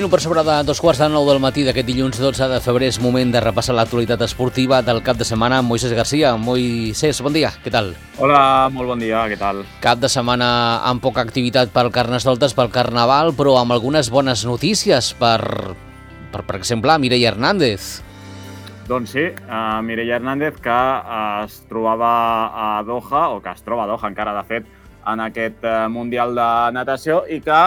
minut per sobre de 2:15 del matí d'aquest dilluns 12 de febrer és moment de repassar l'actualitat esportiva del cap de setmana amb Moisés Garcia. Moisés, bon dia, què tal? Hola, molt bon dia, què tal? Cap de setmana amb poca activitat pel Carnestoltes, pel Carnaval, però amb algunes bones notícies per exemple, Mireia Hernández. Doncs sí, Mireia Hernández, que es trobava a Doha, o que es troba a Doha encara, de fet, en aquest Mundial de Natació i que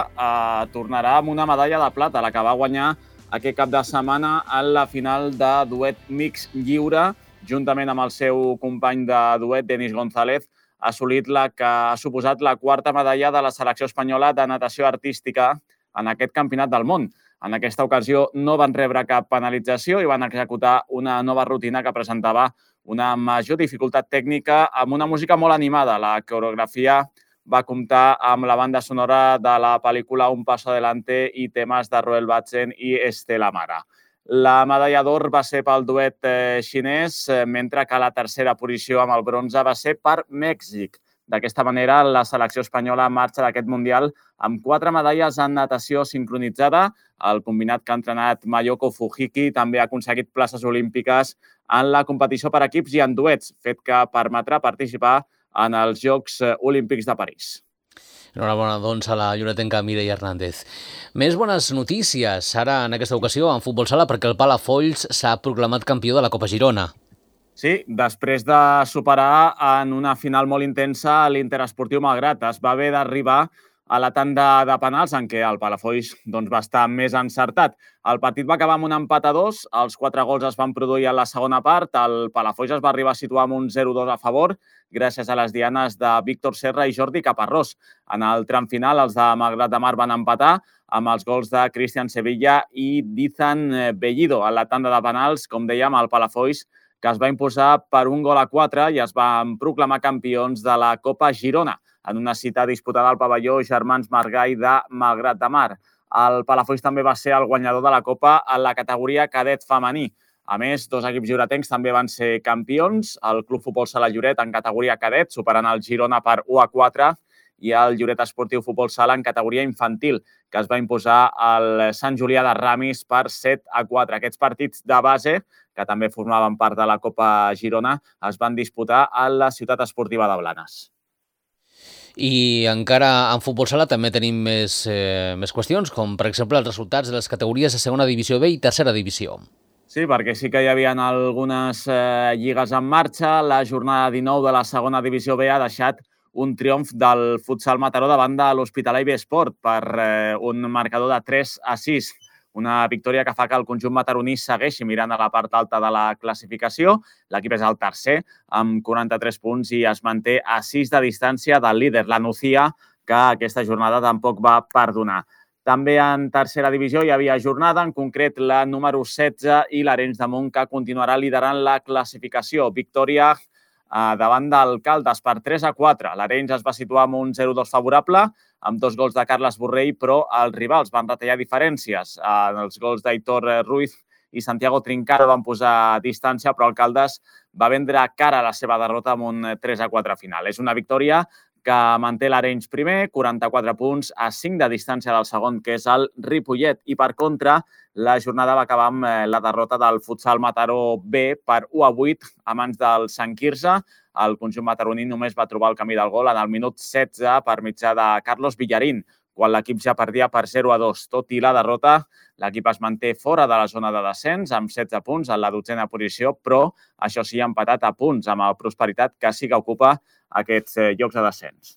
tornarà amb una medalla de plata, la que va guanyar aquest cap de setmana en la final de duet mix lliure, juntament amb el seu company de duet, Denis González, ha assolit la que ha suposat la quarta medalla de la selecció espanyola de natació artística en aquest campionat del món. En aquesta ocasió no van rebre cap penalització i van executar una nova rutina que presentava una major dificultat tècnica amb una música molt animada. La coreografia va comptar amb la banda sonora de la pel·lícula Un paso adelante i temes de Roel Batsen i Estela Mara. La medalla d'or va ser pel duet xinès, mentre que la tercera posició amb el bronze va ser per Mèxic. D'aquesta manera, la selecció espanyola marxa d'aquest Mundial amb 4 medalles en natació sincronitzada. El combinat que ha entrenat Mayoko Fujiki també ha aconseguit places olímpiques en la competició per equips i en duets, fet que permetrà participar en els Jocs Olímpics de París. Enhorabona, doncs, a la lloretenca Mireia Hernández. Més bones notícies, ara en aquesta ocasió en futbol sala, perquè el Palafolls s'ha proclamat campió de la Copa Girona. Sí, després de superar en una final molt intensa l'Interesportiu Malgrat, es va haver d'arribar a la tanda de penals en què el Palafolls va estar més encertat. El partit va acabar amb un empat a 2, els 4 gols es van produir a la segona part, el Palafolls es va arribar a situar amb un 0-2 a favor, gràcies a les dianes de Víctor Serra i Jordi Caparrós. En el tram final, els de Malgrat de Mar van empatar amb els gols de Cristian Sevilla i d'Izan Bellido. A la tanda de penals, com dèiem, el Palafolls, que es va imposar per 1-4 i es van proclamar campions de la Copa Girona, en una cita disputada al pavelló Germans Margall de Malgrat de Mar. El Palafolls també va ser el guanyador de la Copa en la categoria cadet femení. A més, 2 equips lloretencs també van ser campions, el Club Futbol Sala Lloret en categoria cadet, superant el Girona per 1-4, i el Lloret Esportiu Futbol Sala en categoria infantil, que es va imposar al Sant Julià de Ramis per 7-4. Aquests partits de base, que també formaven part de la Copa Girona, es van disputar a la ciutat esportiva de Blanes. I encara en futbol sala també tenim més qüestions, com per exemple els resultats de les categories de segona divisió B i tercera divisió. Sí, perquè sí que hi havia algunes lligues en marxa. La jornada 19 de la segona divisió B ha deixat un triomf del futsal Mataró davant de l'Hospitalet Besport per un marcador de 3-6. Una victòria que fa que el conjunt mataroní segueixi mirant a la part alta de la classificació. L'equip és el tercer, amb 43 punts, i es manté a 6 de distància del líder, la Nucía, que aquesta jornada tampoc va perdonar. També en tercera divisió hi havia jornada, en concret la número 16 i l'Arenys de Munt, que continuarà liderant la classificació. Victòria davant del Caldes per 3-4. L'Arenys es va situar amb un 0-2 favorable, amb 2 gols de Carles Borrell, però els rivals van retallar diferències. Els gols d'Aitor Ruiz i Santiago Trincaro van posar distància, però el Caldes va vendre cara a la seva derrota amb un 3-4 final. És una victòria que manté l'Arenys primer, 44 punts, a 5 de distància del segon, que és el Ripollet. I per contra, la jornada va acabar amb la derrota del futsal Mataró B per 1-8 a mans del Sant Quirze. El conjunt mataroní només va trobar el camí del gol en el minut 16 per mitjà de Carlos Villarín, quan l'equip ja perdia per 0-2. Tot i la derrota, l'equip es manté fora de la zona de descens amb 16 punts en la 12a posició, però això sí, ha empatat a punts amb el Prosperitat, que sí que ocupa aquests llocs de descens.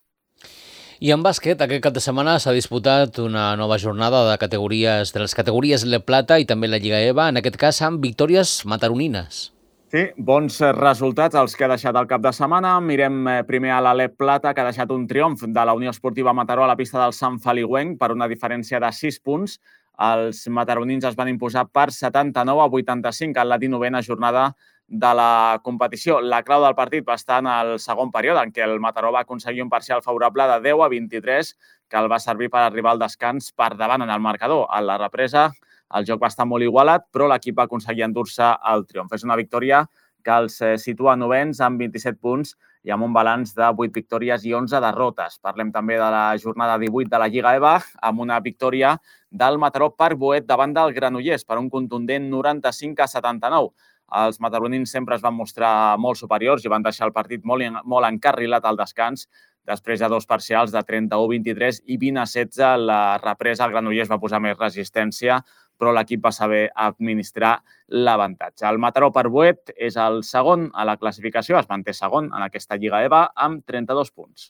I en bàsquet, aquest cap de setmana s'ha disputat una nova jornada de les categories Le Plata i també la Lliga EVA, en aquest cas amb victòries mataronines. Sí, bons resultats els que ha deixat el cap de setmana. Mirem primer a l'Alep Plata, que ha deixat un triomf de la Unió Esportiva Mataró a la pista del Sant Feliuenc per una diferència de 6 punts. Els mataronins es van imposar per 79-85 en la 19a jornada de la competició. La clau del partit va estar en el segon període, en què el Mataró va aconseguir un parcial favorable de 10-23, que el va servir per arribar al descans per davant en el marcador. A la represa, el joc va estar molt igualat, però l'equip va aconseguir endur-se el triomf. És una victòria que els situa novens amb 27 punts i amb un balanç de 8 victòries i 11 derrotes. Parlem també de la jornada 18 de la Lliga EVA, amb una victòria del Mataró Parc Boet davant del Granollers per un contundent 95-79. Els mataronins sempre es van mostrar molt superiors i van deixar el partit molt encarrilat al descans. Després de dos parcials de 31-23 i 20-16, la represa, el Granollers va posar més resistència, però l'equip va saber administrar l'avantatge. El Mataró Parc Boet és el segon a la classificació, es manté segon en aquesta Lliga EVA amb 32 punts.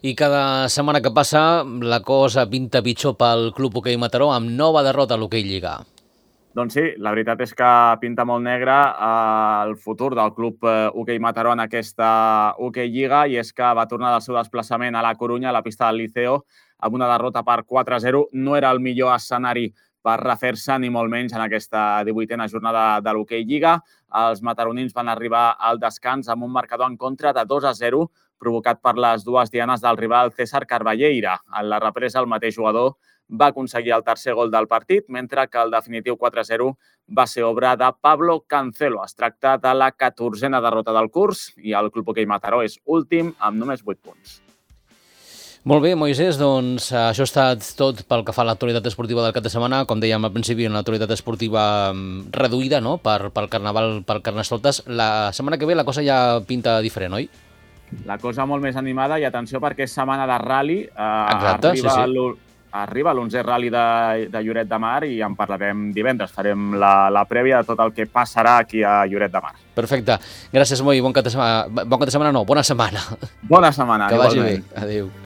I cada setmana que passa la cosa pinta pitjor pel Club Hoquei Mataró amb nova derrota a l'Hoquei Lliga. Doncs sí, la veritat és que pinta molt negre el futur del Club Hoquei Mataró en aquesta Hoquei Lliga, i és que va tornar del seu desplaçament a la Corunya, a la pista del Liceo, amb una derrota per 4-0. No era el millor escenari per refer-se, ni molt menys, en aquesta 18a jornada de l'Hoquei Lliga. Els mataronins van arribar al descans amb un marcador en contra de 2-0, provocat per les dues dianes del rival César Carballeira. En la represa, el mateix jugador va aconseguir el tercer gol del partit, mentre que el definitiu 4-0 va ser obra de Pablo Cancelo. Es tracta de la 14a derrota del curs i el Club Hoquei Mataró és últim amb només 8 punts. Molt bé, Moisés, doncs això ha estat tot pel que fa a l'actualitat esportiva del cap de setmana. Com dèiem al principi, una actualitat esportiva reduïda, no?, pel Carnaval, pel Carnestoltes. La setmana que ve la cosa ja pinta diferent, oi? La cosa molt més animada, i atenció perquè és setmana de rally. Exacte, sí. Arriba l'11è rally de Lloret de Mar i en parlarem divendres. Farem la prèvia de tot el que passarà aquí a Lloret de Mar. Perfecte. Gràcies, Moi. Bon cap de setmana. Bona setmana. Bona setmana. Que vagi bé. Adéu.